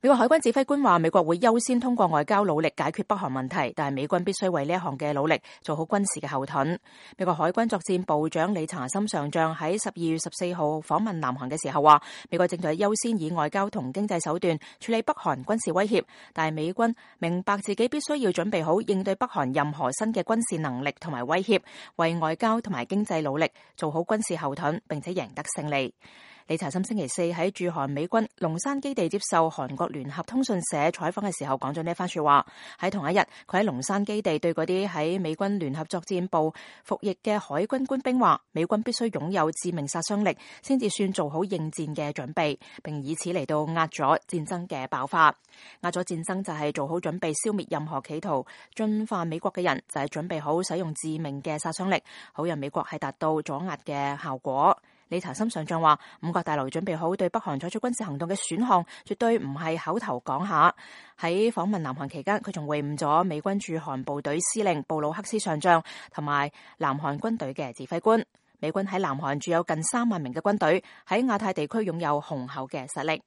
美國海軍指揮官話，美國會優先通過外交努力解決北韓問題，但係美軍必須為呢一項嘅努力做好軍事嘅後盾。美國海軍作戰部長理查森上將喺12月14號訪問南韓嘅時候話，美國正在優先以外交同經濟手段處理北韓軍事威脅，但係美軍明白自己必須要準備好應對北韓任何新嘅軍事能力同埋威脅，為外交同埋經濟努力做好軍事後盾，並且贏得勝利。理查森星期四喺駐韓美軍龍山基地接受韓國聯合通訊社採訪嘅時候講咗呢番說話。喺同一日，佢喺龍山基地對嗰啲喺美軍聯合作戰部服役嘅海軍官兵話，美軍必須擁有致命殺傷力，先至算做好應戰嘅準備，並以此嚟到壓咗戰爭嘅爆發。壓咗戰爭就係做好準備消滅任何企圖進犯美國嘅人，就係準備好使用致命嘅殺傷力，好讓美國係達到阻壓嘅效果。理查森上將話，五角大樓準備好對北韓採取軍事行動嘅選項，絕對唔係口頭講下。喺訪問南韓期間，佢仲會晤咗美軍駐韓部隊司令布魯克斯上將同埋南韓軍隊嘅指揮官。美軍喺南韓駐有近3萬名嘅軍隊，喺亞太地區擁有雄厚嘅實力。